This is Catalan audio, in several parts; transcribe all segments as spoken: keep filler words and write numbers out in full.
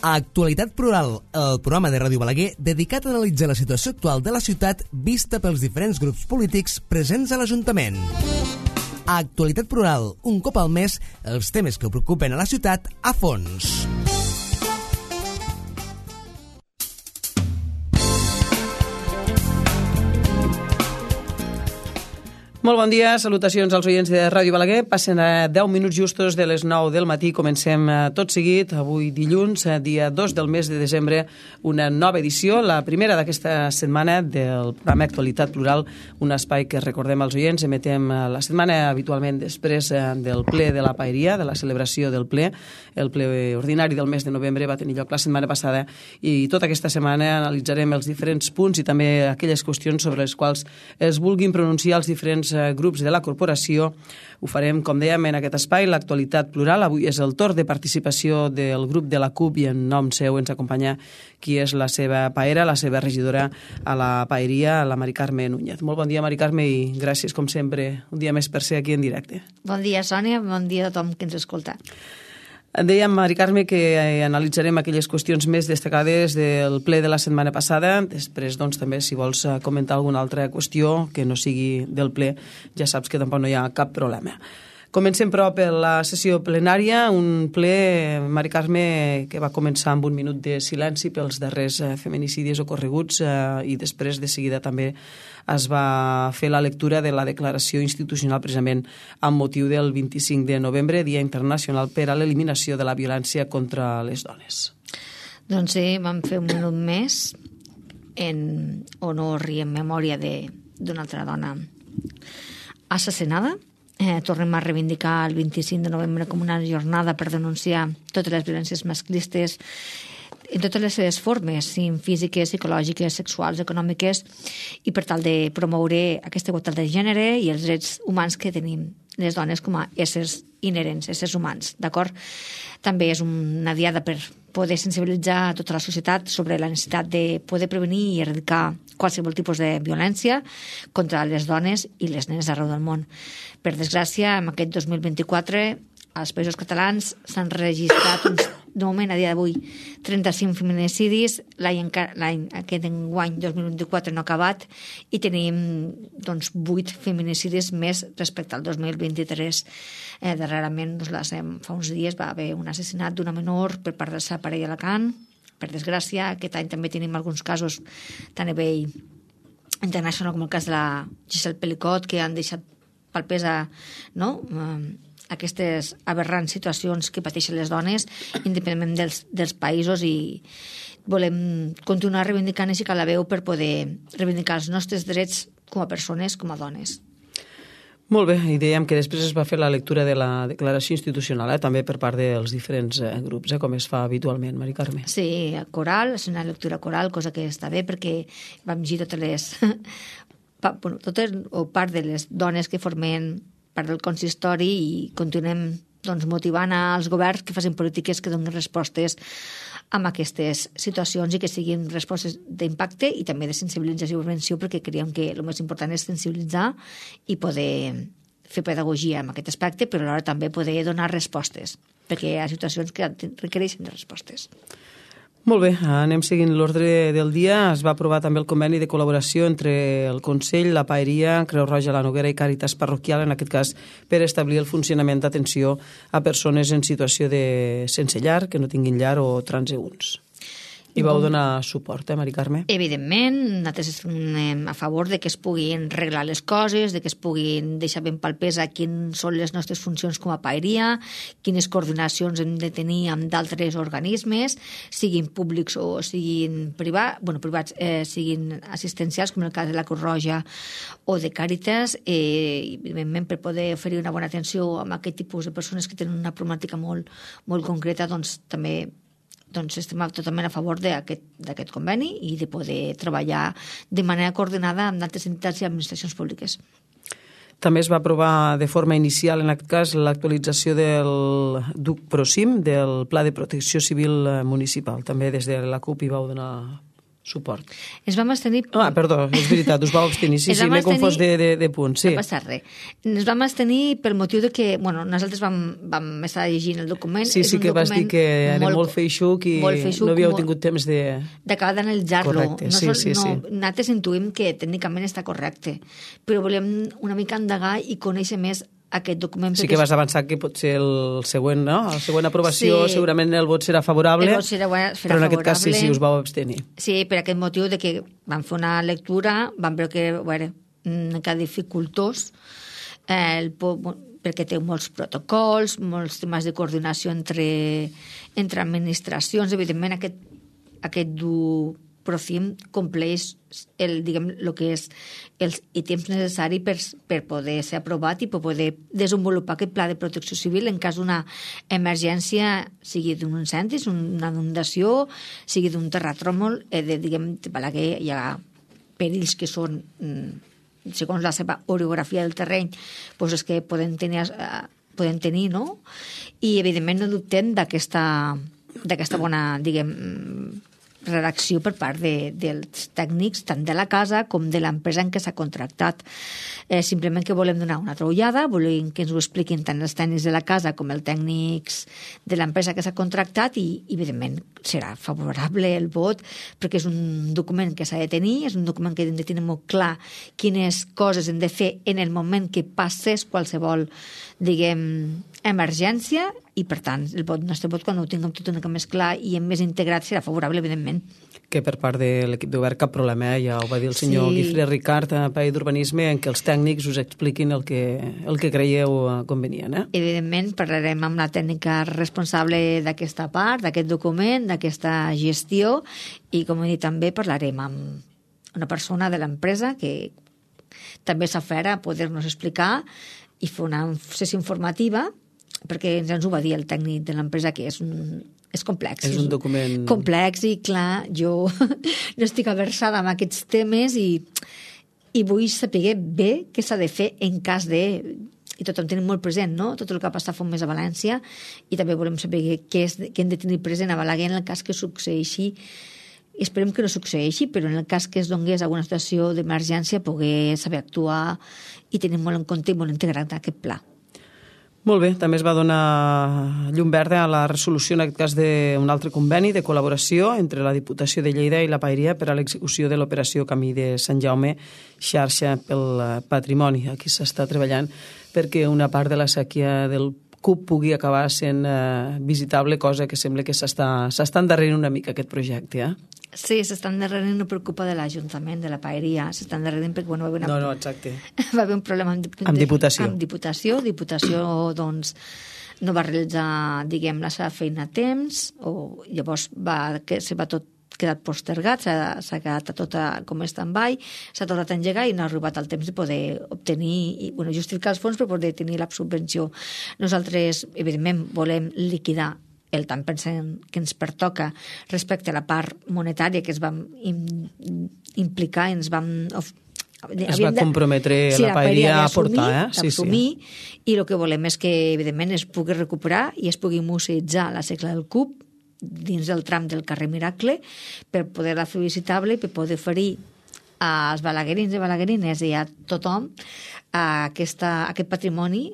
Actualitat Plural, el programa de Ràdio Balaguer dedicat a analitzar la situació actual de la ciutat vista pels diferents grups polítics presents a l'Ajuntament. Actualitat Plural, un cop al mes, els temes que preocupen a la ciutat a fons. Molt bon dia, salutacions als oients de Ràdio Balaguer. Passen a deu minuts justos de les nou del matí. Comencem tot seguit, avui dilluns, dia dos del mes de desembre, una nova edició, la primera d'aquesta setmana del programa Actualitat Plural, un espai que recordem als oients, emetem la setmana habitualment després del ple de la Paeria, de la celebració del ple. El ple ordinari del mes de novembre va tenir lloc la setmana passada i tota aquesta setmana analitzarem els diferents punts i també aquelles qüestions sobre les quals es vulguin pronunciar els diferents grups de la corporació. Ho farem, com dèiem, en aquest espai, l'actualitat plural. Avui és el torn de participació del grup de la C U P i en nom seu ens acompanya qui és la seva paera, la seva regidora a la Paeria, la Mari Carme Núñez. Molt bon dia, Mari Carme, i gràcies, com sempre, un dia més per ser aquí en directe. Bon dia, Sònia, bon dia a tothom que ens escolta. Dèiem, Mari Carme, que analitzarem aquelles qüestions més destacades del ple de la setmana passada. Després, doncs, també, si vols comentar alguna altra qüestió que no sigui del ple, ja saps que tampoc no hi ha cap problema. Comencem, però, per la sessió plenària, un ple, Mari Carme, que va començar amb un minut de silenci pels darrers feminicidis ocorreguts i després, de seguida, també es va fer la lectura de la declaració institucional precisament amb motiu del vint-i-cinc de novembre, Dia Internacional per a l'Eliminació de la Violència contra les Dones. Doncs sí, vam fer un minut més en honor i en memòria d'una altra dona assassinada. Eh, tornem a reivindicar el vint-i-cinc de novembre com una jornada per denunciar totes les violències masclistes en totes les seves formes, físiques, psicològiques, sexuals, econòmiques, i per tal de promoure aquesta igualtat de gènere i els drets humans que tenim les dones com a éssers inherents, éssers humans, d'acord? També és una diada per poder sensibilitzar a tota la societat sobre la necessitat de poder prevenir i erradicar qualsevol tipus de violència contra les dones i les nenes arreu del món. Per desgràcia, en aquest dos mil vint-i-quatre, als Països Catalans s'han registrat uns, de moment, a dia d'avui, trenta-cinc feminicidis. L'any aquest enguany, dos mil vint-i-quatre, no ha acabat, i tenim doncs, vuit feminicidis més respecte al dos mil vint-i-tres. Eh, darrerament, doncs, fa uns dies, va haver un assassinat d'una menor per part de sa parella a Alacant. Per desgràcia, aquest any també tenim alguns casos tan a nivell internacional com el cas de la Giselle Pelicot, que han deixat palpesa, no?, aquestes aberrants situacions que pateixen les dones, independentment dels, dels països, i volem continuar reivindicant així que la veu per poder reivindicar els nostres drets com a persones, com a dones. Molt bé, i dèiem que després es va fer la lectura de la declaració institucional, eh, també per part dels diferents eh, grups, eh, com es fa habitualment, Mari Carme. Sí, coral, és una lectura coral, cosa que està bé perquè vam llegir totes les... bueno, totes o part de les dones que formen part del consistori i continuem doncs, motivant als governs que facin polítiques que donin respostes amb aquestes situacions i que siguin respostes d'impacte i també de sensibilització i prevenció, perquè creiem que el més important és sensibilitzar i poder fer pedagogia en aquest aspecte, però alhora també poder donar respostes, perquè hi ha situacions que requereixen de respostes. Molt bé, anem seguint l'ordre del dia. Es va aprovar també el conveni de col·laboració entre el Consell, la Paeria, Creu Roja, la Noguera i Càritas Parroquial, en aquest cas per establir el funcionament d'atenció a persones en situació de sense llar, que no tinguin llar o transeünts. I vau donar suport, eh, Mari Carme? Evidentment, nosaltres estem a favor de que es puguin reglar les coses, de que es puguin deixar ben palpesa quines són les nostres funcions com a paeria, quines coordinacions hem de tenir amb d'altres organismes, siguin públics o siguin privats, bueno, privats, eh, siguin assistencials, com el cas de la Creu Roja o de Càritas, eh, evidentment per poder oferir una bona atenció a aquest tipus de persones que tenen una problemàtica molt, molt concreta, doncs també doncs estem totalment a favor d'aquest conveni i de poder treballar de manera coordinada amb d'altres entitats i administracions públiques. També es va aprovar de forma inicial, en aquest cas, l'actualització del D U C PROCIM, del Pla de Protecció Civil Municipal. També des de la C U P hi vau donar suport. Ens vam abstenir... Ah, perdó, és veritat, us vau abstenir. Sí, sí, m'he confós de, de, de punts. Sí. No passa res. Ens vam abstenir pel motiu de que, bueno, nosaltres vam, vam estar llegint el document. Sí, sí que vas dir que era molt, molt feixuc i molt feixuc, no havíeu molt, tingut temps de... d'acabar d'analitzar-lo. Correcte, sí, no, sí, no, sí. Nosaltres intuïm que tècnicament està correcte, però volem una mica indagar i conèixer més aquest document. Sí que vas avançar que pot ser el següent, no? La següent aprovació, sí, segurament el vot serà favorable, el vot serà, serà però en favorable. aquest cas sí, sí, us vau abstenir. Sí, per aquest motiu de que vam fer una lectura, vam veure que era una mica dificultós, eh, el, perquè té molts protocols, molts temes de coordinació entre, entre administracions. Evidentment, aquest, aquest du Procim compleix el, diguem, el que és els ítems necessaris per, per poder ser aprovat i per poder desenvolupar aquest pla de protecció civil en cas d'una emergència, sigui d'un incendi, una inundació, sigui d'un terratrèmol, eh, de, diguem, de Balaguer hi ha perills que són, segons la seva orografia del terreny, doncs és que poden tenir, poden tenir, no? I, evidentment, no dubtem d'aquesta d'aquesta bona, diguem, redacció per part de, dels tècnics tant de la casa com de l'empresa en què s'ha contractat. Eh, simplement que volem donar una altra ullada, volem que ens ho expliquin tant els tècnics de la casa com els tècnics de l'empresa que s'ha contractat i, evidentment, serà favorable el vot perquè és un document que s'ha de tenir, és un document que hem de tenir molt clar quines coses hem de fer en el moment que passés qualsevol, diguem, emergència i, per tant, el vot, el nostre vot, quan ho tinguem tot una mica més clar i més integrat, serà favorable, evidentment. Que per part de l'equip de govern cap problema, eh? Ja ho va dir el senyor sí. Guifré Ricard, a País d'Urbanisme, en què els tècnics us expliquin el que, el que creieu convenient. Eh? Evidentment, parlarem amb la tècnica responsable d'aquesta part, d'aquest document, d'aquesta gestió, i, com he dit, també parlarem amb una persona de l'empresa que també s'afera a poder-nos explicar i fer una sessió informativa, perquè ens ho va dir el tècnic de l'empresa, que és, un, és complex. És un document... complex i, clar, jo no estic aversada amb aquests temes i, i vull saber bé què s'ha de fer en cas de... I tothom tenim molt present, no?, tot el que ha passat fa un mes a València, i també volem saber què, és, què hem de tenir present a Balaguer en el cas que succeeixi. Esperem que no succeeixi, però en el cas que es donés alguna situació d'emergència poder saber actuar i tenir molt en compte i molt integrat aquest pla. Molt bé, també es va donar llum verda a la resolució, en aquest cas, d'un altre conveni de col·laboració entre la Diputació de Lleida i la Paeria per a l'execució de l'operació Camí de Sant Jaume, xarxa pel patrimoni. Aquí s'està treballant perquè una part de la sèquia del C U P pugui acabar sent eh, visitable, cosa que sembla que s'està endarrerint una mica aquest projecte, eh? Sí, s'està endarrerint, no per culpa de l'Ajuntament, de la Paeria, s'està endarrerint perquè, bueno, va haver, una... no, no, exacte. va haver un problema amb, amb Diputació. Amb Diputació. Diputació, doncs, no va realitzar, diguem, la seva feina a temps, o llavors va, que se va tot quedat postergat, s'ha quedat tot com a stand-by, s'ha tornat a engegar i no ha arribat el temps de poder obtenir i, bueno, justificar els fons per poder tenir la subvenció. Nosaltres, evidentment, volem liquidar el tant pensant que ens pertoca respecte a la part monetària que es vam implicar i ens vam... Es va comprometre sí, la Paeria a aportar, eh? Sí, sí. I el que volem és que, evidentment, es pugui recuperar i es pugui museïtzar la segla del C U P dins del tram del carrer Miracle per poder-la fer visitable i per poder oferir als balaguerins i balaguerines i a tothom a aquesta, a aquest patrimoni.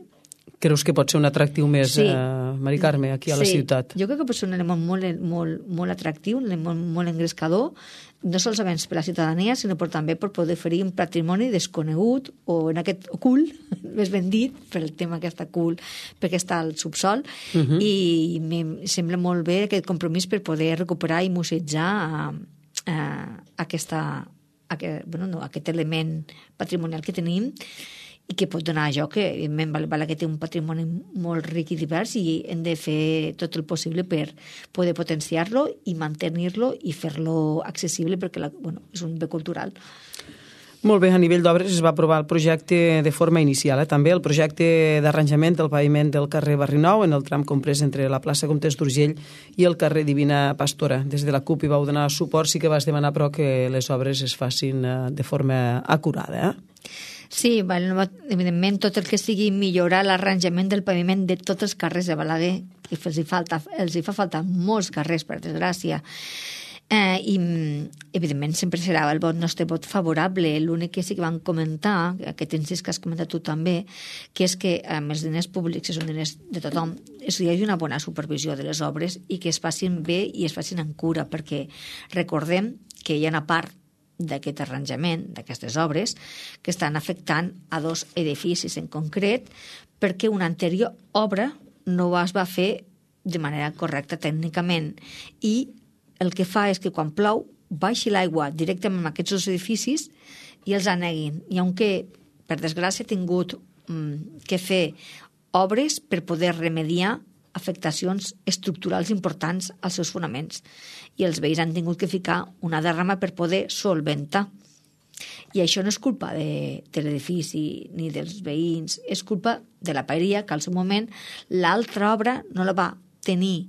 Creus que pot ser un atractiu més, sí. eh, Mari Carme, aquí a la sí. ciutat? Jo crec que pot ser un element molt, molt, molt atractiu, un element molt engrescador, no solament per la ciutadania, sinó per, també per poder oferir un patrimoni desconegut o en aquest ocult, més ben dit, per el tema que està ocult, perquè està al subsol, uh -huh. i em sembla molt bé aquest compromís per poder recuperar i musejar eh, aquesta, aquest, bueno, no, aquest element patrimonial que tenim i que pot donar joc, que evidentment Balaguer té un patrimoni molt ric i divers i hem de fer tot el possible per poder potenciar-lo i mantenir-lo i fer-lo accessible perquè la, bueno, és un bé cultural. Molt bé, a nivell d'obres es va aprovar el projecte de forma inicial, eh? també el projecte d'arranjament del paviment del carrer Barrinou en el tram comprès entre la plaça Comtes d'Urgell i el carrer Divina Pastora. Des de la C U P hi vau donar suport, sí que vas demanar però que les obres es facin de forma acurada, eh? Sí, evidentment, tot el que sigui millorar l'arranjament del paviment de tots els carrers de Balaguer, que els hi, falta, els hi fa falta molts carrers, per desgràcia. Eh, I, evidentment, sempre serà el vot nostre vot favorable. L'únic que sí que van comentar, aquest incís que has comentat tu també, que és que amb els diners públics, que són diners de tothom, és que hi hagi una bona supervisió de les obres i que es facin bé i es facin en cura, perquè recordem que hi ha una part d'aquest arranjament, d'aquestes obres, que estan afectant a dos edificis en concret, perquè una anterior obra no es va fer de manera correcta tècnicament i el que fa és que quan plou baixi l'aigua directament a aquests dos edificis i els aneguin. I aunque, per desgràcia, ha tingut mm, que fer obres per poder remediar afectacions estructurals importants als seus fonaments. I els veïns han tingut que ficar una derrama per poder solventar. I això no és culpa de, de l'edifici ni dels veïns, és culpa de la paeria, que al seu moment l'altra obra no la va tenir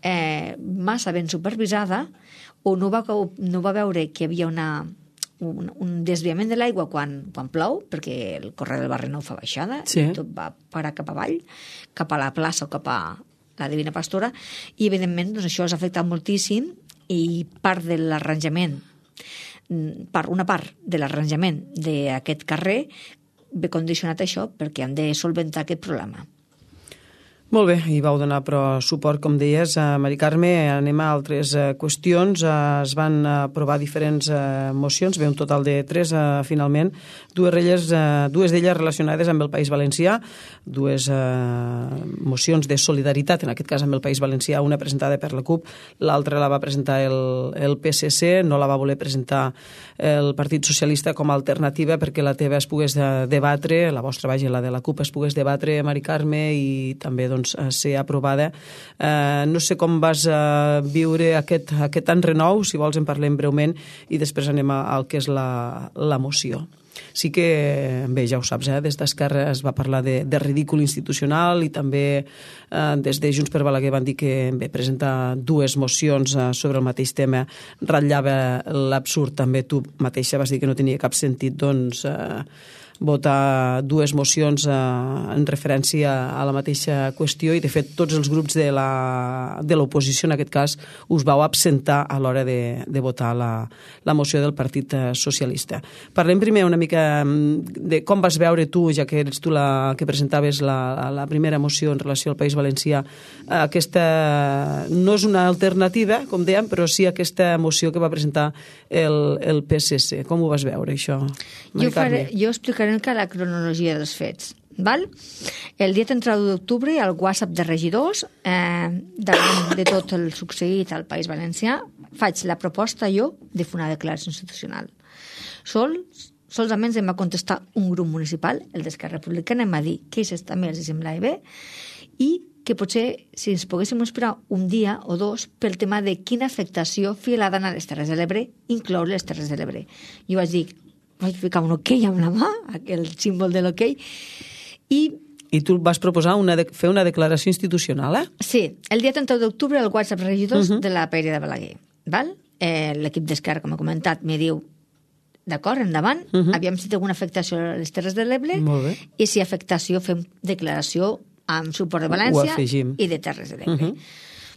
eh, massa ben supervisada o no va, no va veure que hi havia una, un, un desviament de l'aigua quan, quan plou, perquè el corrent del barri no ho fa baixada, sí. I tot va parar cap avall, cap a la plaça o cap a la Divina Pastora, i evidentment doncs, això has afectat moltíssim i part de l'arranjament, part, una part de l'arranjament d'aquest carrer ve condicionat a això perquè hem de solventar aquest problema. Molt bé, i vau donar però suport, com deies, a Mari Carme. Anem a altres eh, qüestions. Eh, es van aprovar diferents eh, mocions, bé, un total de tres, eh, finalment, dues, relles, eh, dues d'elles relacionades amb el País Valencià, dues eh, mocions de solidaritat, en aquest cas amb el País Valencià, una presentada per la CUP, l'altra la va presentar el, el P S C, no la va voler presentar el Partit Socialista com a alternativa perquè la teva es pogués debatre, la vostra, vaja, la de la CUP es pogués debatre, Mari Carme, i també, doncs, ser aprovada. Eh, no sé com vas eh, viure aquest, aquest enrenou, si vols en parlem breument i després anem al que és la, la moció. Sí que, bé, ja ho saps, eh, des d'Esquerra es va parlar de, de ridícul institucional i també eh, des de Junts per Balaguer van dir que bé, presentar dues mocions eh, sobre el mateix tema ratllava l'absurd. També tu mateixa vas dir que no tenia cap sentit, doncs, eh, votar dues mocions eh, en referència a la mateixa qüestió i, de fet, tots els grups de la, de l'oposició, en aquest cas, us vau absentar a l'hora de, de votar la, la moció del Partit Socialista. Parlem primer una mica de com vas veure tu, ja que eres tu la que presentaves la, la primera moció en relació al País Valencià. Aquesta no és una alternativa, com dèiem, però sí aquesta moció que va presentar el, el P S C. Com ho vas veure, això, Mari Carme? Jo, jo explicaré que la cronologia dels fets. Val? El dia trenta d'octubre, al WhatsApp de regidors, eh, davant de tot el succeït al País Valencià, faig la proposta jo de fer una declaració institucional. Sols, solament em va contestar un grup municipal, el d'Esquerra Republicana, em va dir que això també els semblava bé i que potser si ens poguéssim esperar un dia o dos pel tema de quina afectació feia a les Terres de l'Ebre, incloure les Terres de l'Ebre. Jo vaig dir, vaig ficar un ok amb la mà, aquell símbol de l'ok, i... I tu vas proposar una de, fer una declaració institucional, eh? Sí, el dia trenta d'octubre al WhatsApp regidors uh -huh. de la Paeria de Balaguer. Val? Eh, l'equip d'Esquerra, com he comentat, me diu, d'acord, endavant, uh -huh. aviam si té alguna afectació a les Terres de l'Ebre, i si afectació fem declaració amb suport de València i de Terres de l'Ebre. Uh -huh.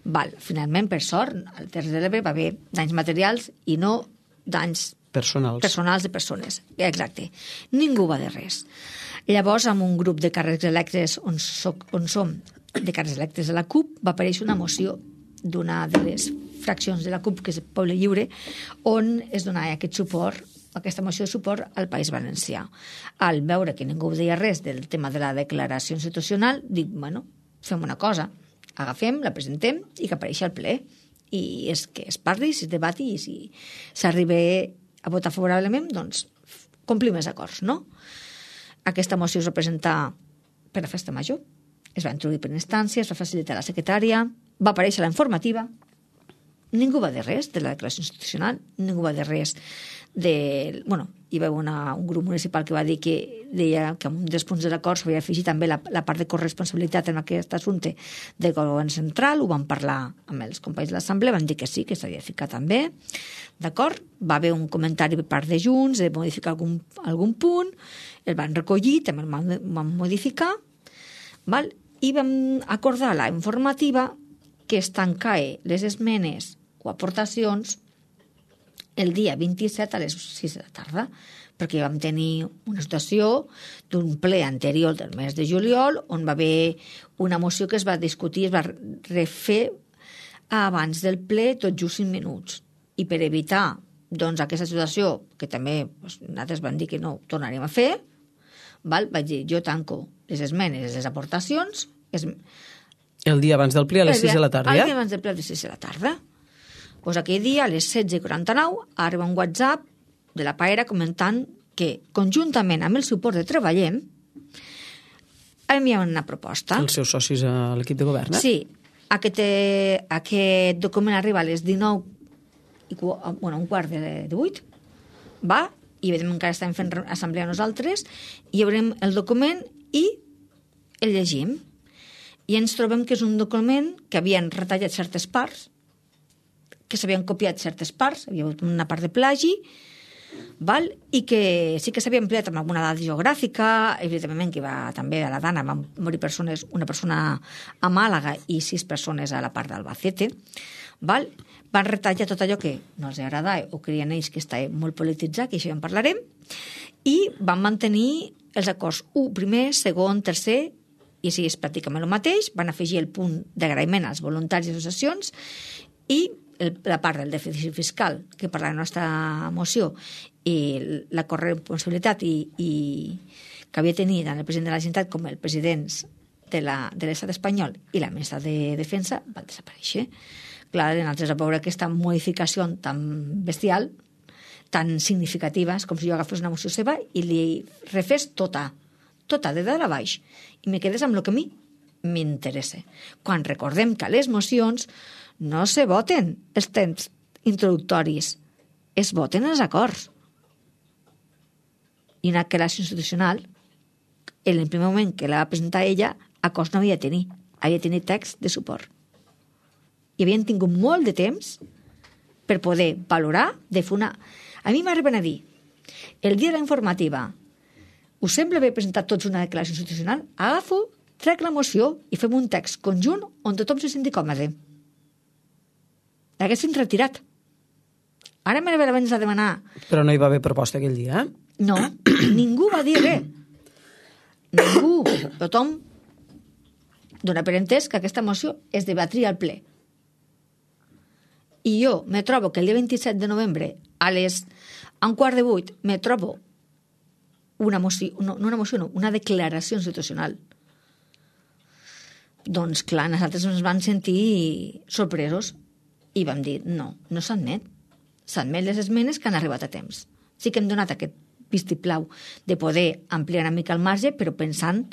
Val, finalment, per sort, a Terres de l'Ebre va haver danys materials i no danys personals. Personals de persones, exacte. Ningú va de res. Llavors, amb un grup de càrrecs electes on, soc, on som de càrrecs electes de la CUP, va aparèixer una moció d'una de les fraccions de la CUP, que és el Poble Lliure, on es donava aquest suport, aquesta moció de suport al País Valencià. Al veure que ningú deia res del tema de la declaració institucional, dic, bueno, fem una cosa, agafem, la presentem i que apareixi al ple. I és que es parli, si es debati i si s'arriba a votar favorablement, doncs complim els acords, no? Aquesta moció es va presentar per la festa major, es va introduir per instància, es va facilitar la secretària, va aparèixer la informativa, ningú va dir res de la declaració institucional, ningú va dir res de... Bueno, hi va haver una, un grup municipal que va dir que deia que en un dels punts de l'acord s'havia afegit també la, la part de corresponsabilitat en aquest assumpte del govern central, ho van parlar amb els companys de l'Assemblea, van dir que sí, que s'havia de ficar també, d'acord? Va haver un comentari per part de Junts de modificar algun, algun punt, el van recollir, també el van, van modificar, val? I vam acordar la informativa que es tancava les esmenes o aportacions el dia vint-i-set a les sis de la tarda, perquè vam tenir una situació d'un ple anterior del mes de juliol on va haver una moció que es va discutir, es va refer abans del ple tot just cinc minuts. I per evitar doncs, aquesta situació, que també doncs, nosaltres vam dir que no ho tornaríem a fer, val? Vaig dir, jo tanco les esmenes, les aportacions... Es... El dia abans del ple a les sis de la tarda, ja? ja? El dia abans del ple a les sis de la tarda. Pues aquell dia, a les setze i quaranta-nou, arriba un WhatsApp de la Paera comentant que, conjuntament amb el suport de Treballem, enviaven una proposta. Els seus socis a l'equip de govern, eh? Sí. Aquest, eh, aquest document arriba a les dinou, i, bueno, un quart de, de vuit, va, i vedem encara estem fent assemblea nosaltres, i obrem el document i el llegim. I ens trobem que és un document que havien retallat certes parts, que s'havien copiat certes parts, havia hagut una part de plagi, val? I que sí que s'havia ampliat amb alguna dada geogràfica, evidentment que va també a la Dana, van morir persones, una persona a Màlaga i sis persones a la part d'Albacete, val? Van retallar tot allò que no els agradava o creien ells que estava molt polititzat, que això ja en parlarem, i van mantenir els acords u, primer, segon, tercer, i així és pràcticament el mateix, van afegir el punt d'agraïment als voluntaris i associacions i el, la part del dèficit fiscal que per la nostra moció i la corresponsabilitat i, i que havia tenit tant el president de la Generalitat com el president de l'estat espanyol i la ministra de Defensa van desaparèixer. Clar, nosaltres a veure aquesta modificació tan bestial, tan significativa, és com si jo agafés una moció seva i li refés tota, tota de dalt a baix, i me quedés amb el que a mi m'interessa. Quan recordem que a les mocions no se voten els temps introductoris, es voten els acords. I en aquella institucional, en el primer moment que la va presentar ella, acords no havia tenir, havia tenir text de suport. I havien tingut molt de temps per poder valorar de fer una... A mi m'arriben a dir, el dia de la informativa, us sembla haver presentat tots una declaració institucional? Agafo, trec la moció i fem un text conjunt on tothom se senti còmode. L'haguessin retirat. Ara me l'haver a demanar... Però no hi va haver proposta aquell dia, eh? No, ningú va dir res. Ningú. Tothom dona per entès que aquesta moció es debatria al ple. I jo me trobo que el dia vint-i-set de novembre a les a un quart de vuit me trobo una moció, no, no una moció, no, una declaració institucional. Doncs clar, nosaltres ens vam sentir sorpresos i vam dir, no, no s'admet. S'admet les esmenes que han arribat a temps. Sí que hem donat aquest vistiplau de poder ampliar una mica el marge, però pensant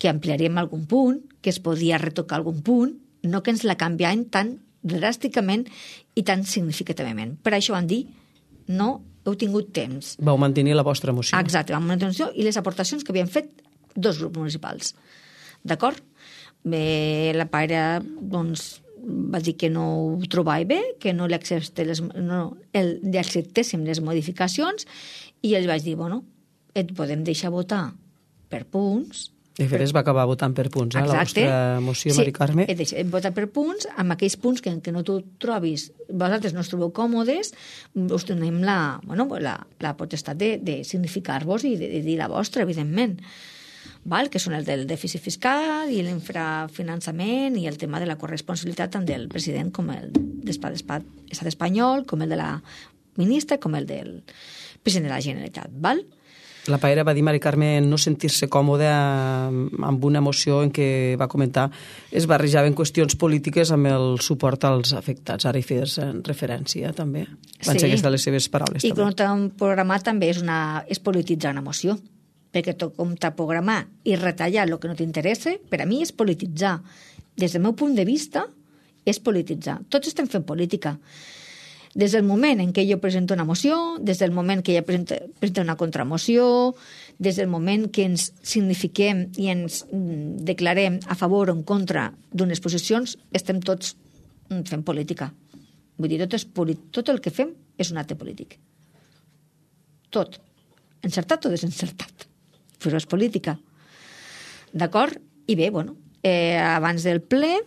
que ampliaríem algun punt, que es podia retocar algun punt, no que ens la canviaven tan dràsticament i tan significativament. Per això van dir, no heu tingut temps. Vau mantenir la vostra moció. Exacte, vam mantenir la moció i les aportacions que havien fet dos grups municipals. D'acord? Bé, la pare, doncs, va dir que no ho trobava bé, que no li, les, no, el, li acceptéssim les modificacions i els vaig dir, bueno, et podem deixar votar per punts. De fet, es va acabar votant per punts, eh, la vostra moció, sí, Mari Carme. Sí, et deixem votar per punts, amb aquells punts que, que no t'ho trobis, vosaltres no us trobeu còmodes, us donem la, bueno, la, la potestat de, de significar-vos i de, de dir la vostra, evidentment. Val? Que són el del dèficit fiscal i l'infrafinançament i el tema de la corresponsabilitat tant del president com el de l'estat espanyol, com el de la ministra, com el del president de la Generalitat. Val? La Paera va dir, Mari Carme, no sentir-se còmoda amb una moció en què va comentar es barrejaven qüestions polítiques amb el suport als afectats. Ara hi fes referència, també. Van sí. ser aquestes les seves paraules. I com un programa també és, una, és polititzar una moció, perquè tot com t'ha programar i retallar el que no t'interessa, per a mi és polititzar. Des del meu punt de vista, és polititzar. Tots estem fent política. Des del moment en què jo presento una moció, des del moment que ella presenta, presenta una contramoció, des del moment que ens signifiquem i ens declarem a favor o en contra d'unes posicions, estem tots fent política. Vull dir, tot, és tot el que fem és un acte polític. Tot. Encertat o desencertat. Però és política. D'acord? I bé, bueno, eh, abans del ple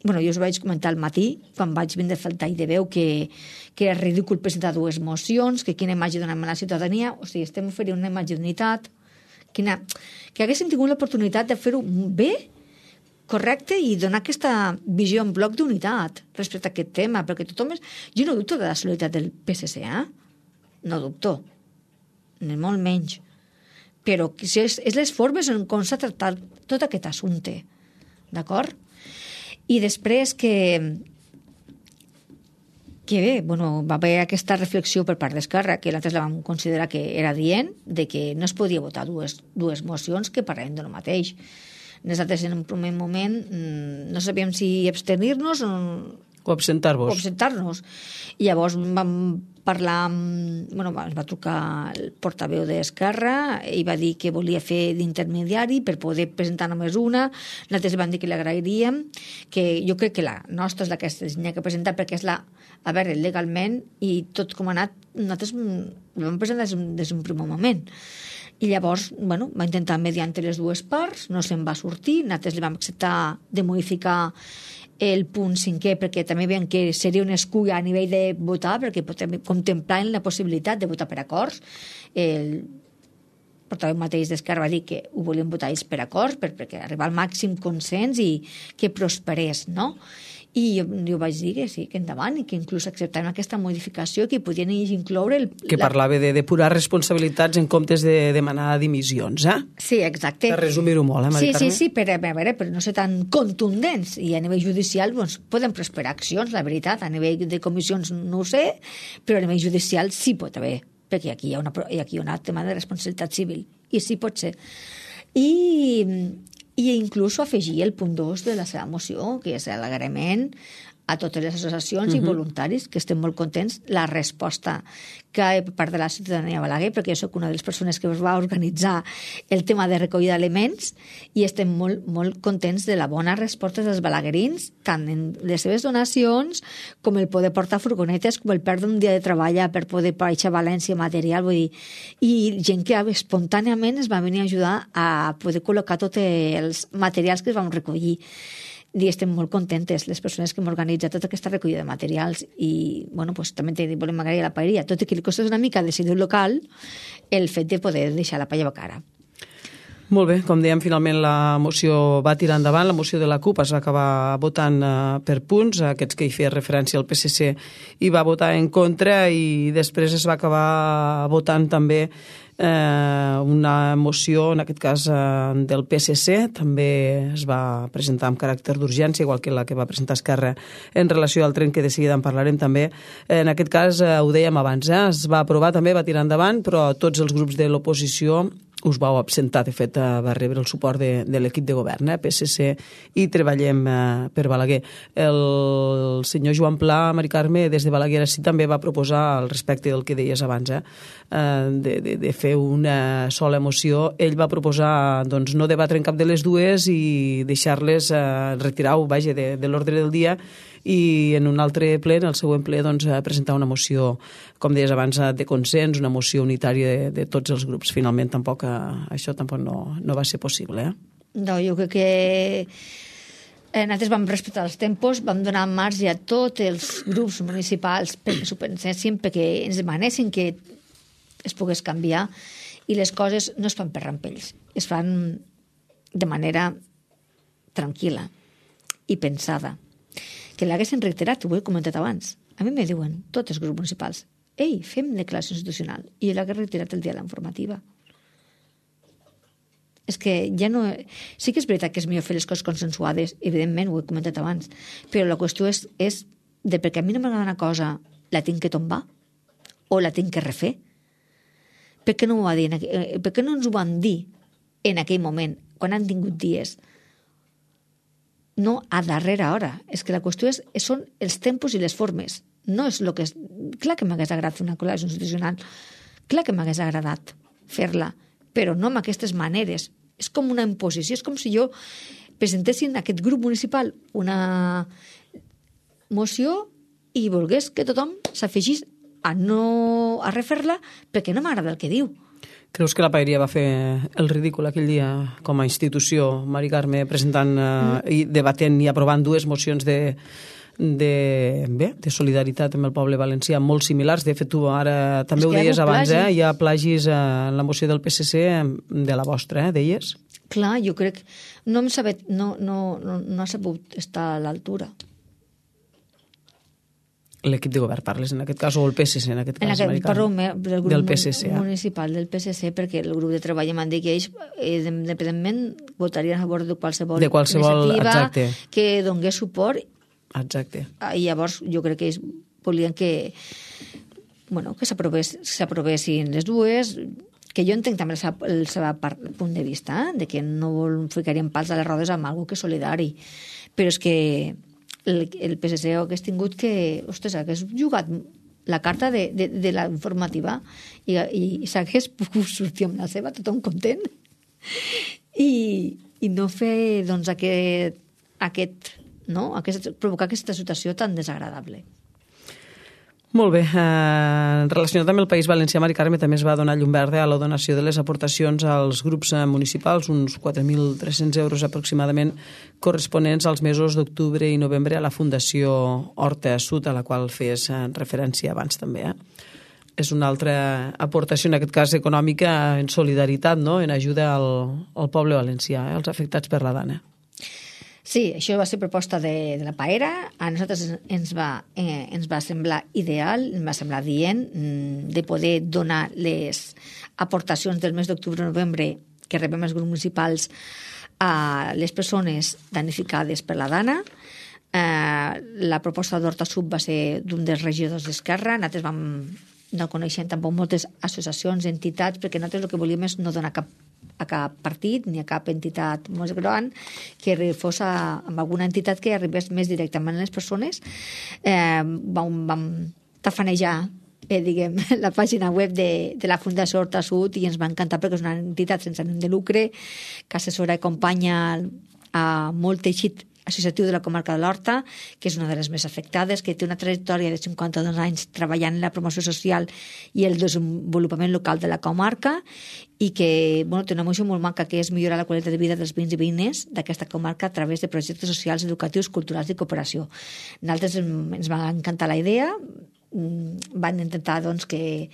bueno, jo us vaig comentar al matí, quan vaig vindre a fer el tall de veu, que, que era ridícul presentar dues mocions, que quina imatge donem a la ciutadania, o sigui, estem oferint una imatge d'unitat, quina, que haguéssim tingut l'oportunitat de fer-ho bé, correcte, i donar aquesta visió en bloc d'unitat respecte a aquest tema, perquè tothom és... Jo no dubto de la solidaritat del P S C, eh? No dubto, ni molt menys. Però és, és les formes en com s'ha tractat tot aquest assumpte, d'acord? I després que, que bé, bueno, va haver aquesta reflexió per part d'Esquerra, que nosaltres la vam considerar que era dient, de que no es podia votar dues, dues mocions que parlem del mateix. Nosaltres en un primer moment no sabíem si abstenir-nos o, o absentar-vos. O absentar-nos. I llavors vam parlar amb... Bueno, ens va trucar el portaveu d'Esquerra i va dir que volia fer d'intermediari per poder presentar només una. Nosaltres vam dir que l'agrairíem, que jo crec que la nostra és la que s'ha que presentar perquè és la... A veure, legalment i tot com ha anat, nosaltres vam presentar des, des d'un primer moment. I llavors, bueno, va intentar mediar entre les dues parts, no se'n va sortir, nosaltres li vam acceptar de modificar el punt cinquè, perquè també veiem que seria una excusa a nivell de votar, perquè contemplaven la possibilitat de votar per acords. El portaveu mateix d'Esquerra va dir que ho volien votar ells per acords, per, perquè arribar al màxim consens i que prosperés, no? I jo, jo vaig dir que sí, que endavant, i que inclús acceptaven aquesta modificació, que podien incloure... El, que la... parlava de depurar responsabilitats en comptes de demanar dimissions, eh? Sí, exacte. Per resumir-ho molt, eh, Mari Sí, Carme? sí, sí, per, a veure, per no ser tan contundents. I a nivell judicial doncs, poden prosperar accions, la veritat. A nivell de comissions no ho sé, però a nivell judicial sí pot haver, perquè aquí hi ha, una, aquí hi ha un tema de responsabilitat civil. I sí pot ser. I... i inclús afegir el punt dos de la seva moció, que és l'agraïment a totes les associacions uh-huh. i voluntaris, que estem molt contents, la resposta que per part de la ciutadania Balaguer, perquè jo soc una de les persones que va organitzar el tema de recollida d'aliments, i estem molt, molt contents de la bona resposta dels balaguerins, tant en les seves donacions, com el poder portar furgonetes, com el perdre un dia de treball per poder baixar a València material, vull dir, i gent que espontàniament es va venir a ajudar a poder col·locar tots els materials que es van recollir. I estem molt contentes, les persones que hem organitzat tota aquesta recollida de materials, i bueno, pues, també volem agrair a la paeria, tot i que li costa una mica de decidir local el fet de poder deixar la paella a cara. Molt bé, com dèiem, finalment la moció va tirar endavant, la moció de la CUP es va acabar votant uh, per punts, aquests que hi feia referència al P S C hi va votar en contra, i després es va acabar votant també eh, una moció, en aquest cas eh, del P S C, també es va presentar amb caràcter d'urgència, igual que la que va presentar Esquerra en relació al tren, que de seguida en parlarem també. En aquest cas, eh, ho dèiem abans, eh, es va aprovar també, va tirar endavant, però tots els grups de l'oposició us vau absentar. De fet, va rebre el suport de, de l'equip de govern, eh? P S C i Treballem eh, per Balaguer. El senyor Joan Pla, Mari Carme, des de Balaguer sí també va proposar, al respecte del que deies abans, eh? De, de, de fer una sola moció. Ell va proposar doncs, no debatre en cap de les dues i deixar-les eh, retirar-ho, vaja, de, de l'ordre del dia, i en un altre ple, en el següent ple, doncs, presentar una moció, com deies abans, de consens, una moció unitària de, de tots els grups. Finalment, tampoc, això tampoc no, no va ser possible. Eh? No, jo crec que eh, nosaltres vam respectar els tempos, vam donar marge a tots els grups municipals perquè s'ho pensessin, perquè ens demanessin que es pogués canviar, i les coses no es fan per rampells, es fan de manera tranquil·la i pensada. Que l'haguessin reiterat, ho he comentat abans. A mi me diuen, tots els grups municipals, ei, fem declaració institucional, i jo l'hagués reiterat el dia de la informativa. És que ja no... Sí que és veritat que és millor fer les coses consensuades, evidentment, ho he comentat abans, però la qüestió és, és de perquè a mi no m'agrada una cosa, la tinc que tombar? O la tinc que refer? Per què no, m'ho va dir en aquell... per què no ens ho van dir en aquell moment, quan han tingut dies? No a darrera hora. És que la qüestió és, són els tempos i les formes. No és el que és... Clar que m'hagués agradat fer una declaració institucional. Clar que m'hagués agradat fer-la, però no amb aquestes maneres. És com una imposició. És com si jo presentessin a aquest grup municipal una moció i volgués que tothom s'afegís a no a refer-la perquè no m'agrada el que diu. Creus que la Paeria va fer el ridícul aquell dia com a institució, Mari Carme, presentant eh, i debatent i aprovant dues mocions de, de, bé, de solidaritat amb el poble valencià molt similars? De fet, tu ara també ho deies abans, eh? Hi ha plagis en la moció del P S C de la vostra, eh? Deies? Clar, jo crec... No hem sabut, no, no, no, no ha sabut estar a l'altura. L'equip de govern parles, en aquest cas, o el P S C, en aquest cas, en aquest, parlo del grup del P S C, municipal del P S C, perquè el grup de treball m'han dit que ells, eh, independentment, votarien a favor de qualsevol, de qualsevol iniciativa exacte. Que donés suport. Exacte. I llavors jo crec que ells volien que, bueno, que s'aprovessin les dues, que jo entenc també el seu, el seu punt de vista, eh? De que no ficarien pals a les rodes amb algú que és solidari. Però és que el, el P S C hagués tingut que, ostres, hagués jugat la carta de, de, de la informativa i, i, i s'hagués pogut sortir amb la seva, tothom content, i, i no fer, doncs, aquest, aquest, no? Aquest, provocar aquesta situació tan desagradable. Molt bé. Eh, relacionat amb el País Valencià, Mari Carme, també es va donar llum verda a la donació de les aportacions als grups municipals, uns quatre mil tres-cents euros aproximadament, corresponents als mesos d'octubre i novembre a la Fundació Horta Sud, a la qual fes referència abans també. Eh? És una altra aportació, en aquest cas econòmica, en solidaritat, no? En ajuda al, al poble valencià, eh? als afectats per la Dana. Sí, això va ser proposta de, de la Paera. A nosaltres ens va, eh, ens va semblar ideal, ens va semblar dient de poder donar les aportacions del mes d'octubre i novembre que rebem els grups municipals a les persones danificades per la Dana. Eh, la proposta d'Horta Sud va ser d'un dels regidors d'Esquerra. Nosaltres vam, no coneixem tampoc moltes associacions, entitats, perquè nosaltres el que volíem és no donar cap a cap partit ni a cap entitat més gran, que fos a, amb alguna entitat que arribés més directament a les persones. Eh, vam, vam tafanejar eh, diguem, la pàgina web de, de la Fundació Horta Sud i ens va encantar perquè és una entitat sense ànim de lucre que assessora i acompanya a molt teixit associatiu de la comarca de l'Horta, que és una de les més afectades, que té una trajectòria de cinquanta-dos anys treballant en la promoció social i el desenvolupament local de la comarca i que bueno, té una moció molt maca que és millorar la qualitat de vida dels veïns i veïnes d'aquesta comarca a través de projectes socials, educatius, culturals i cooperació. Nosaltres ens va encantar la idea, van intentar doncs, que,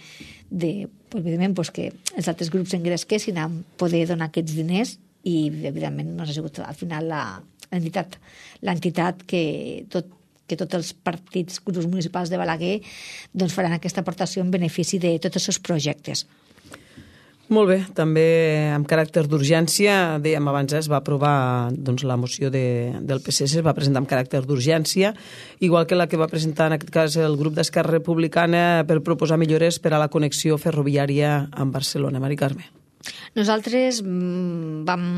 de, pues, evidentment, pues, que els altres grups engresquessin a poder donar aquests diners i evidentment no ha sigut al final la l'entitat, l'entitat que, tot, que tots els partits, grups municipals de Balaguer doncs faran aquesta aportació en benefici de tots els seus projectes. Molt bé, també amb caràcter d'urgència, dèiem abans, es va aprovar doncs, la moció de, del P S C, es va presentar amb caràcter d'urgència, igual que la que va presentar en aquest cas el grup d'Esquerra Republicana per proposar millores per a la connexió ferroviària amb Barcelona. Mari Carme. Nosaltres vam...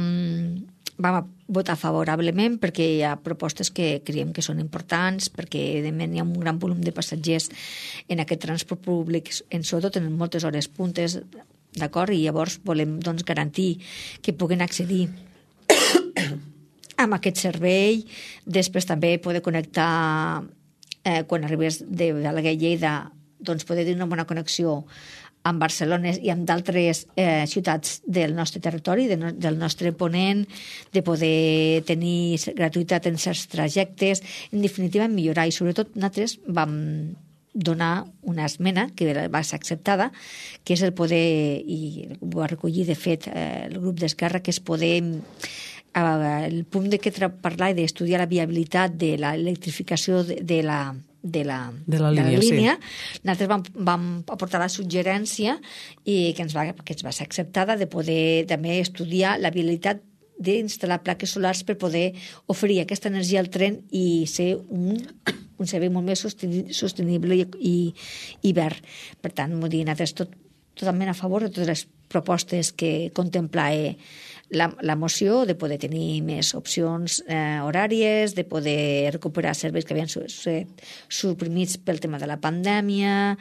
vam votar favorablement perquè hi ha propostes que creiem que són importants, perquè evidentment hi ha un gran volum de passatgers en aquest transport públic, en sobretot en moltes hores puntes, d'acord? I llavors volem doncs, garantir que puguen accedir amb aquest servei, després també poder connectar eh, quan arribés de Balaguer a Lleida, doncs poder tenir una bona connexió amb Barcelona i amb d'altres eh, ciutats del nostre territori, de no, del nostre ponent, de poder tenir gratuïtat en certs trajectes, en definitiva millorar, i sobretot nosaltres vam donar una esmena que va ser acceptada, que és el poder, i ho va recollir de fet eh, el grup d'Esquerra, que és poder el punt de que parlar i d'estudiar la viabilitat de l'electrificació de, de la de la, de la línia, de la línia. Sí. Nosaltres vam, vam aportar la suggerència i que ens, va, que ens va ser acceptada de poder també estudiar la viabilitat d'instal·lar plaques solars per poder oferir aquesta energia al tren i ser un, un servei molt més sostenible i, i, i verd. Per tant, vull dir, nosaltres tot, totalment a favor de totes les propostes que contempla eh, la, la moció, de poder tenir més opcions eh, horàries, de poder recuperar serveis que havien estat suprimits pel tema de la pandèmia,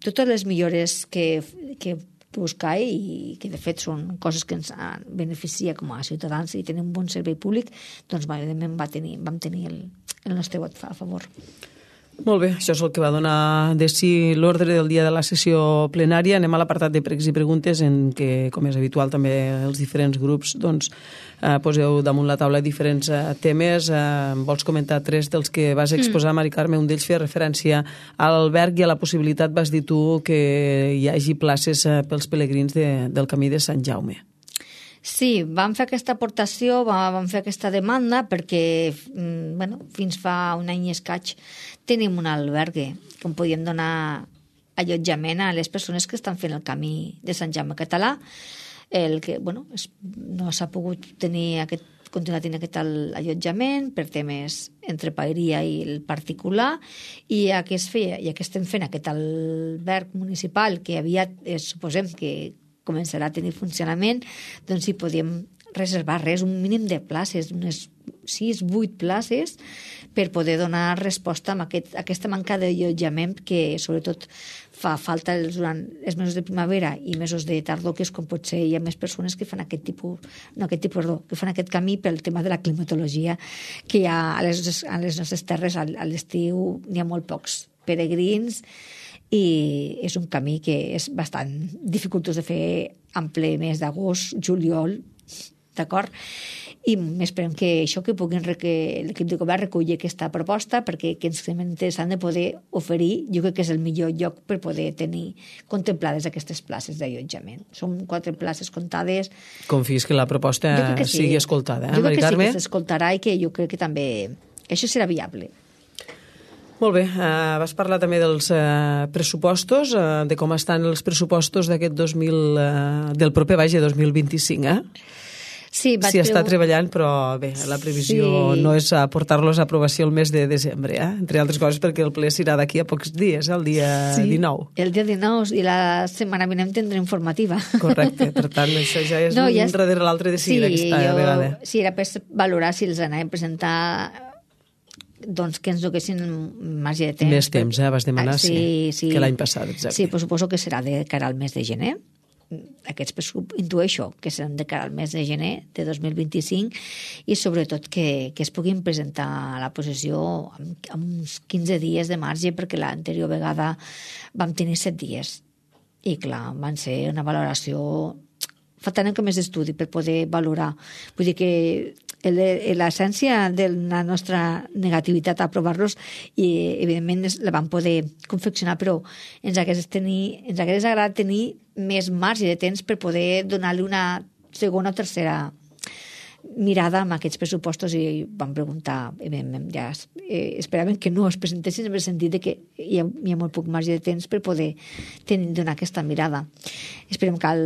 totes les millores que, que buscar i que de fet són coses que ens beneficia com a ciutadans i tenir un bon servei públic, doncs evidentment va tenir, vam tenir el, el nostre vot a favor. Molt bé, això és el que va donar de si l'ordre del dia de la sessió plenària. Anem a l'apartat de pregs i preguntes en què, com és habitual, també els diferents grups doncs, eh, poseu damunt la taula diferents eh, temes. Eh, vols comentar tres dels que vas exposar, Mari Carme? Un d'ells feia referència a l'alberg i a la possibilitat, vas dir tu, que hi hagi places eh, pels pelegrins de, del camí de Sant Jaume. Sí, vam fer aquesta aportació, vam fer aquesta demanda perquè bueno, fins fa un any i escaig tenim un albergue que podíem donar allotjament a les persones que estan fent el camí de Sant Jaume Català. El que bueno, es, no s'ha pogut tenir aquest, continuar tenint aquest allotjament per temes entre paeria i el particular, i ja que, es feia, ja que estem fent aquest alberg municipal que aviat eh, suposem que començarà a tenir funcionament, doncs hi podíem reservar res, un mínim de places, unes sis, vuit places, per poder donar resposta a, aquest, a aquesta manca d'allotjament que sobretot fa falta durant els mesos de primavera i mesos de tardor, que és com pot ser, hi ha més persones que fan aquest tipus, no aquest tipus, perdó, que fan aquest camí pel tema de la climatologia, que hi ha a les, a les nostres terres a l'estiu n'hi ha molt pocs peregrins, i és un camí que és bastant dificultós de fer en ple mes d'agost, juliol, d'acord? I esperem que això que puguin que l'equip de govern reculli aquesta proposta, perquè que ens sembla interessant de poder oferir, jo crec que és el millor lloc per poder tenir contemplades aquestes places d'allotjament. Són quatre places comptades. Confies que la proposta que sí. sigui escoltada, eh, jo Mari Carme? Jo crec que sí que s'escoltarà i que jo crec que també això serà viable. Molt bé, uh, vas parlar també dels uh, pressupostos, uh, de com estan els pressupostos d'aquest dos mil, uh, del proper, vaja, dos mil vint-i-cinc, eh? Sí, vaig S'hi està treballant, però bé, la previsió sí. no és portar-los a aprovació el mes de desembre, eh? Entre altres coses perquè el ple serà d'aquí a pocs dies, el dia sí, dinou. El dia dinou, i la setmana vinent tindrem informativa. Correcte, per tant, això ja és no, un ja és... darrere l'altre de seguida sí, aquesta jo... vegada. Sí, era per valorar si els anàvem a presentar, doncs que ens donessin marge de temps. Més temps, eh? Vas demanar, ah, sí, sí, sí, que l'any passat, exacte. Sí, però suposo que serà de cara al mes de gener. Aquests pressupostos, intueixo que seran de cara al mes de gener de dos mil vint-i-cinc, i sobretot que, que es puguin presentar a la possessió amb, amb uns quinze dies de marge, perquè l'anterior vegada vam tenir set dies. I clar, van ser una valoració... Faltant que més estudi per poder valorar. Vull dir que l'essència de la nostra negativitat a aprovar-los, i evidentment la vam poder confeccionar, però ens hagués, tenir, ens hagués agradat tenir més marge de temps per poder donar-li una segona o tercera mirada amb aquests pressupostos, i vam preguntar, ja eh, esperaven que no es presentessin en el sentit de que hi ha, hi ha molt poc marge de temps per poder tenir, donar aquesta mirada. Esperem que al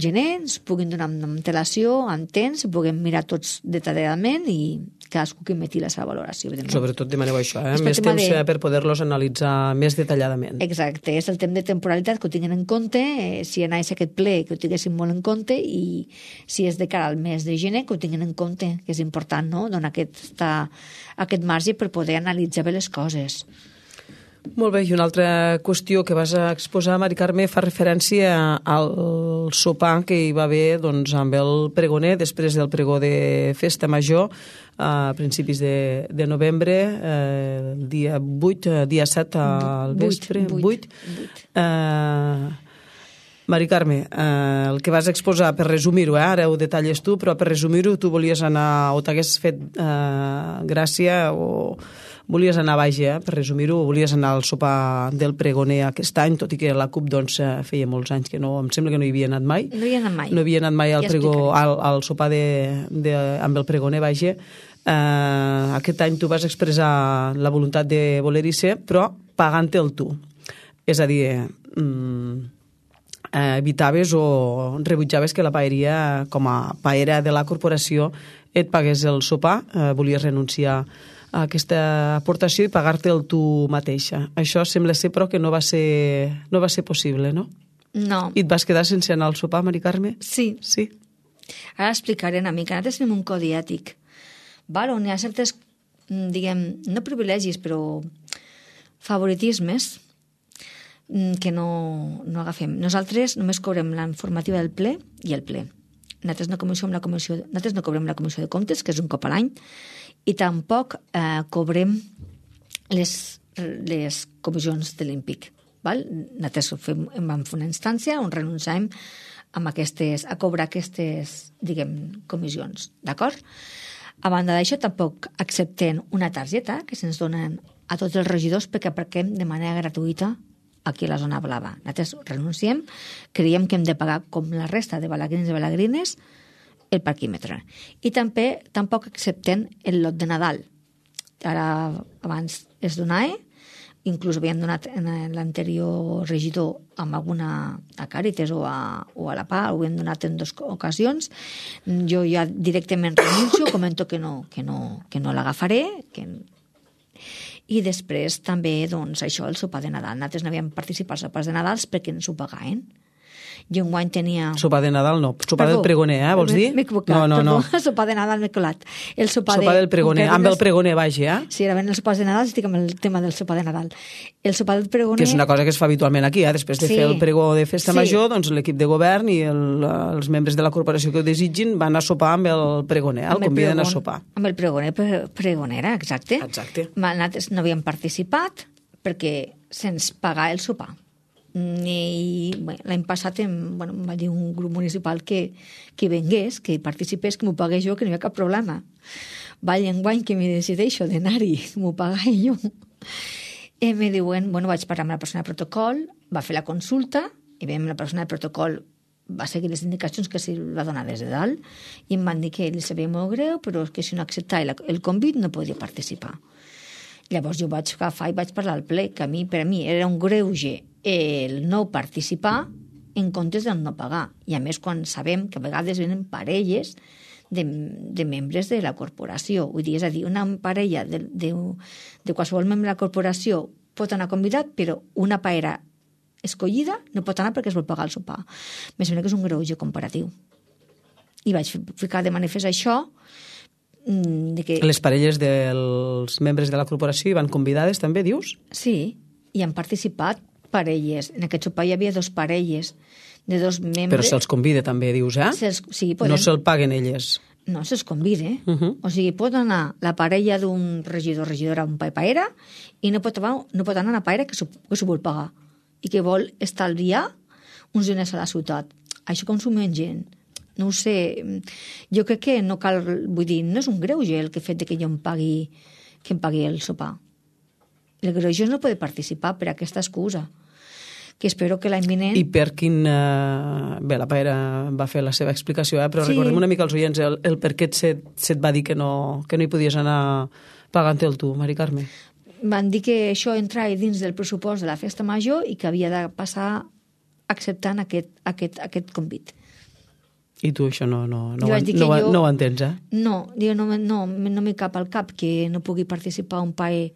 gener ens puguin donar amb antelació, amb temps, puguem mirar tots detalladament i cadascú que emeti la seva valoració. Sobretot demaneu això, eh? més temps de... per poder-los analitzar més detalladament. Exacte, és el temps de temporalitat que ho tinguin en compte, eh, si anés a aquest ple que ho tinguessin molt en compte, i si és de cara al mes de gener que ho tinguin en compte, que és important, no?, donar aquesta, aquest marge per poder analitzar bé les coses. Molt bé, i una altra qüestió que vas a exposar, Mari Carme, fa referència al sopar que hi va haver doncs, amb el pregoner, després del pregó de Festa Major, a principis de, de novembre, eh, dia vuit, dia set al vespre, vuit. Eh, Mari Carme, eh, el que vas exposar, per resumir-ho, eh, ara ho detalles tu, però per resumir-ho, tu volies anar, o t'hagués fet eh, gràcia, o volies anar baix, eh, per resumir-ho, volies anar al sopar del pregoner aquest any, tot i que la CUP doncs, feia molts anys que no, em sembla que no hi havia anat mai. No hi havia anat mai. No havia anat mai al, ja pregó, al, al sopar de, de, amb el pregoner baix. Eh, aquest any tu vas expressar la voluntat de voler-hi ser, però pagant-te el tu. És a dir, mm, eh, evitaves o rebutjaves que la paeria, com a paera de la corporació, et pagués el sopar, eh, volies renunciar a aquesta aportació i pagar-te el tu mateixa. Això sembla ser, però, que no va ser, no va ser possible, no? No. I et vas quedar sense anar al sopar, Mari Carme? Sí. Sí. Ara explicaré una mica. Nosaltres tenim un codi ètic, val? On hi ha certes, diguem, no privilegis, però favoritismes que no, no agafem. Nosaltres només cobrem la informativa del ple i el ple. Nosaltres no, la comissió, nosaltres no cobrem la comissió de comptes, que és un cop a l'any, i tampoc eh, cobrem les les comissions de l'Impic. Nosaltres fem, vam fer una instància on renunciàvem amb aquestes, a cobrar aquestes, diguem, comissions, d'acord? A banda d'això, tampoc acceptem una targeta que se'ns donen a tots els regidors perquè aparquem de manera gratuïta aquí a la zona blava. Nosaltres renunciem, creiem que hem de pagar com la resta de balagrins i balagrines el parquímetre. I també tampoc acceptem el lot de Nadal. Ara, abans es donava, inclús havien donat en l'anterior regidor amb alguna a Càritas o a, o a la P A, ho havien donat en dues ocasions. Jo ja directament renuncio, comento que no, que no, que no l'agafaré, que... I després també, doncs, això, el sopar de Nadal. Nosaltres no havíem participat als sopars de Nadal perquè ens ho pagaven. Jo enguany tenia... Sopar de Nadal no, sopar Perdó, del pregoner, eh, vols dir? M'he equivocat, no, no, no. Perdó, sopar de Nadal m'he colat. El sopar, sopar de, del pregoner, amb el pregoner baix, eh? Sí, ara ven els sopars de Nadal, estic amb el tema del sopar de Nadal. El sopar del pregoner... Que és una cosa que es fa habitualment aquí, eh? Després de sí, fer el pregó de festa sí. major, doncs l'equip de govern i el, els membres de la corporació que ho desitgin van a sopar amb el pregoner, el conviden a sopar. Amb el pregoner, pregonera, exacte. Exacte. Nosaltres no havíem participat perquè se'ns pagà el sopar. I bé, l'any passat em, bueno, em va dir un grup municipal que, que vengués, que participés, que m'ho pagués jo, que no hi havia cap problema. Vall enguany que m'hi decideixo d'anar-hi, m'ho pagué jo. I me diuen, bueno, vaig parlar amb la persona de protocol, va fer la consulta, i veiem la persona de protocol va seguir les indicacions que se va donar des de dalt, i em van dir que li sabia molt greu, però que si no acceptava el convit no podia participar. Llavors jo vaig agafar i vaig parlar al ple, que a mi, per a mi era un greuge el no participar en comptes del no pagar. I a més, quan sabem que a vegades venen parelles de, de membres de la corporació, vull dir, és a dir, una parella de, de, de qualsevol membre de la corporació pot anar convidat, però una parella escollida no pot anar perquè es vol pagar el sopar. Me sembla que és un greuge comparatiu. I vaig ficar de manifest això, de que... Les parelles dels membres de la corporació hi van convidades també, dius? Sí, i han participat parelles. En aquest sopar hi havia dos parelles de dos membres... Però se'ls convida també, dius, eh? Se'ls, sí, poden... No se'l paguen elles. No, se'ls convida. Uh -huh. O sigui, pot anar la parella d'un regidor regidora a un paera i no pot, no pot anar una paera que s'ho vol pagar i que vol estalviar uns diners a la ciutat. Això com s'ho mengen? No ho sé. Jo crec que no cal... Vull dir, no és un greuge el que fet de que jo em pagui, que em pagui el sopar. El greuge és no poder participar per aquesta excusa. Que espero que l'any vinent... I per quin... Uh, bé, la Paera va fer la seva explicació, eh? Però sí. Recordem una mica als oients el, el per què se't, se't va dir que no, que no hi podies anar pagant-te'l tu, Mari Carme. Van dir que això entrava dins del pressupost de la festa major i que havia de passar acceptant aquest, aquest, aquest convit. I tu això no, no, no, no, no, jo, no ho entens, eh? No, jo no, no, no m'hi cap al cap que no pugui participar un paer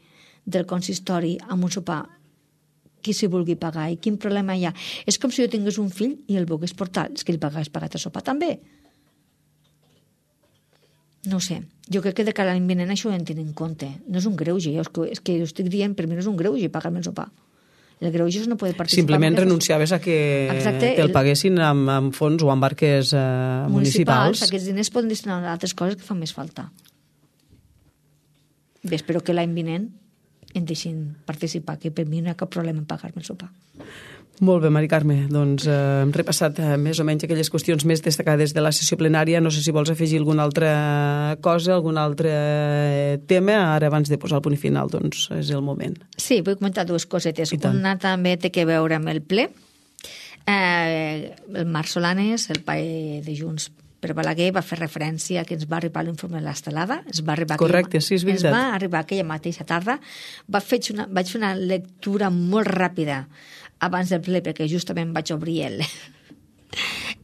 del consistori amb un sopar qui s'hi vulgui pagar i quin problema hi ha. És com si jo tingués un fill i el volgués portar, és que li pagués pagat el sopar també. No sé, jo crec que de cara a l'any vinent això ho hem tenir en compte. No és un greuge, és que, és que jo estic dient, per mi no és un greuge pagar-me el sopar. El greuge és no poder participar. Simplement renunciaves a que Exacte, te'l paguessin amb, amb fons o amb barques eh, municipals. municipals. Aquests diners poden destinar a altres coses que fan més falta. Bé, espero que l'any vinent em deixin participar, que per mi no hi ha cap problema en pagar-me el sopar. Molt bé, Mari Carme. Doncs eh, hem repassat eh, més o menys aquelles qüestions més destacades de la sessió plenària. No sé si vols afegir alguna altra cosa, algun altre tema. Ara, abans de posar el punt final, doncs és el moment. Sí, vull comentar dues cosetes. Una també té que veure amb el ple. Eh, el Marc Solanes, el pae de Junts per Balaguer, va fer referència que ens va arribar l'informe de l'estelada. Ens va arribar Correcte, aquella, sí, és veritat. Ens va arribar aquella mateixa tarda. Va fer una, vaig fer una lectura molt ràpida abans del ple, perquè justament vaig obrir el,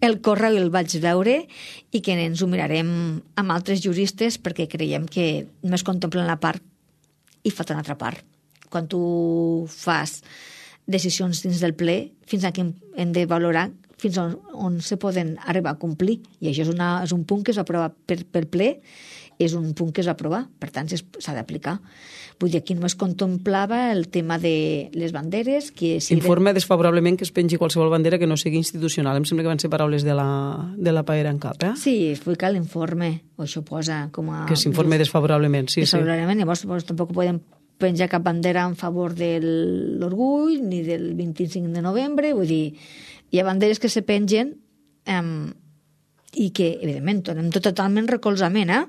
el correu i el vaig veure, i que ens ho mirarem amb altres juristes perquè creiem que només contemplen la part i falta una altra part. Quan tu fas decisions dins del ple, fins a què hem de valorar fins on, on se poden arribar a complir. I això és, una, és un punt que es va aprovar per, per ple, és un punt que es va aprovar, per tant s'ha d'aplicar. Vull dir, aquí només contemplava el tema de les banderes. Que si Informe de... desfavorablement que es pengi qualsevol bandera que no sigui institucional. Em sembla que van ser paraules de la, de la Paera en cap, eh? Sí, explica l'informe, o això posa com a... Que s'informe desfavorablement, sí, desfavorablement. Sí. Llavors, doncs, tampoc podem penja cap bandera en favor de l'orgull ni del vint-i-cinc de novembre, vull dir, hi ha banderes que se pengen um, i que, evidentment, donem tot totalment recolzament, eh?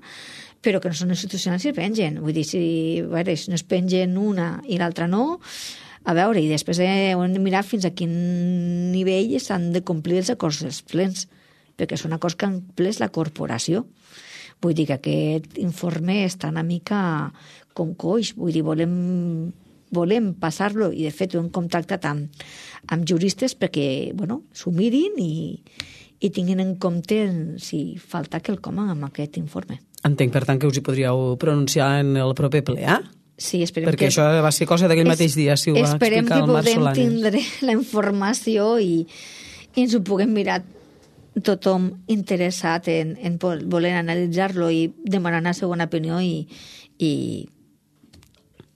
Però que no són institucionals si es pengen. Vull dir, si, veure, si no es pengen una i l'altra no, a veure, i després hem de mirar fins a quin nivell s'han de complir els acords dels plens, perquè són acords que han ples la corporació. Vull dir que aquest informe està una mica com coix, vull dir, volem, volem passar-lo, i de fet ho hem contactat amb, amb juristes perquè, bueno, s'ho mirin i, i tinguin en compte si falta quelcom amb aquest informe. Entenc, per tant, que us hi podríeu pronunciar en el proper ple, eh? Sí, esperem perquè que... això va ser cosa d'aquell mateix dia, si ho va explicar el Marc Solanes. Esperem que podem tindre la informació i, i ens ho puguem mirar tothom interessat en, en voler analitzar-lo i demanar una segona opinió i, i,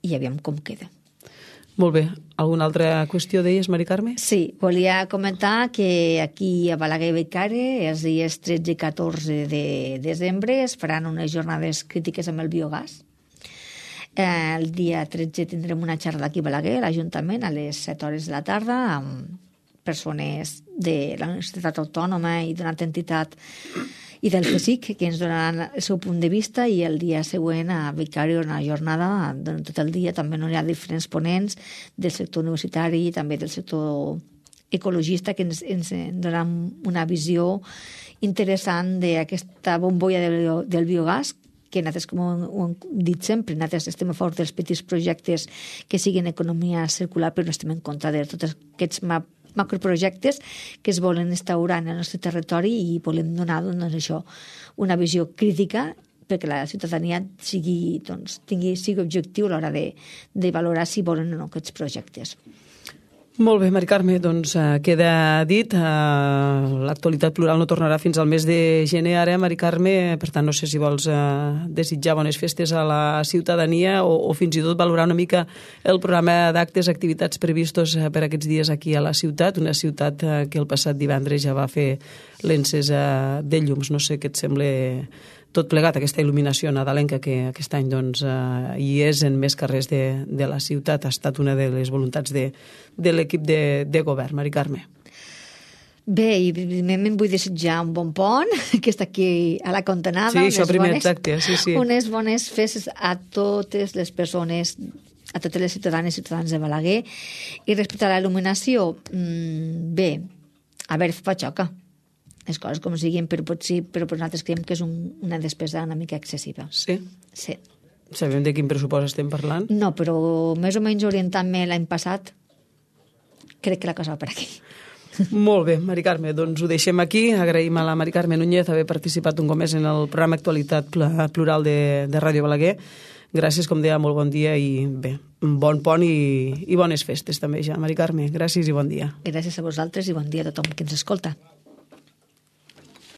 i aviam com queda. Molt bé. Alguna altra qüestió deies, Mari Carme? Sí, volia comentar que aquí a Balaguer i Bellcaire els dies tretze i catorze de desembre es faran unes jornades crítiques amb el biogàs. El dia tretze tindrem una xerrada aquí a Balaguer, a l'Ajuntament, a les set hores de la tarda, amb persones de la Universitat Autònoma i d'una altra entitat i del C S I C, que ens donaran el seu punt de vista, i el dia següent a Bellcaire una jornada, durant tot el dia també no hi ha diferents ponents del sector universitari i també del sector ecologista que ens, ens donaran una visió interessant d'aquesta bombolla del, del biogàs, que nosaltres, com ho hem dit sempre, nosaltres estem a favor dels petits projectes que siguin economia circular, però no estem en contra de tots aquests maps macroprojectes que es volen instaurar en el nostre territori i volem donar, doncs, això, una visió crítica perquè la ciutadania sigui, doncs, tingui, sigui objectiu a l'hora de, de valorar si volen o no aquests projectes. Molt bé, Mari Carme, doncs uh, queda dit. Uh, L'actualitat plural no tornarà fins al mes de gener ara, Mari Carme, per tant no sé si vols uh, desitjar bones festes a la ciutadania o, o fins i tot valorar una mica el programa d'actes, activitats previstos uh, per aquests dies aquí a la ciutat, una ciutat uh, que el passat divendres ja va fer l'encesa de llums. No sé què et sembla tot plegat, aquesta il·luminació nadalenca que aquest any doncs, eh, hi és en més carrers de, de la ciutat. Ha estat una de les voluntats de, de l'equip de, de govern. Mari Carme. Bé, i evidentment vull desitjar un bon pont, que està aquí a la Contenada. Sí, això primer, bones, exacte. Sí, sí. Unes bones festes a totes les persones, a totes les ciutadanes i ciutadans de Balaguer. I respecte a la il·luminació, mmm, bé, a veure, fa xoca. Les coses com siguin, però potser, però nosaltres creiem que és un, una despesa una mica excessiva. Sí? Sí. Sabem de quin pressupost estem parlant? No, però més o menys orientant-me l'any passat, crec que la cosa va per aquí. Molt bé, Mari Carme, doncs ho deixem aquí. Agraïm a la Mari Carme Núñez haver participat un cop més en el programa Actualitat Plural de, de Ràdio Balaguer. Gràcies, com deia, molt bon dia i bé, bon pont i, i bones festes també ja, Mari Carme. Gràcies i bon dia. Gràcies a vosaltres i bon dia a tothom que ens escolta.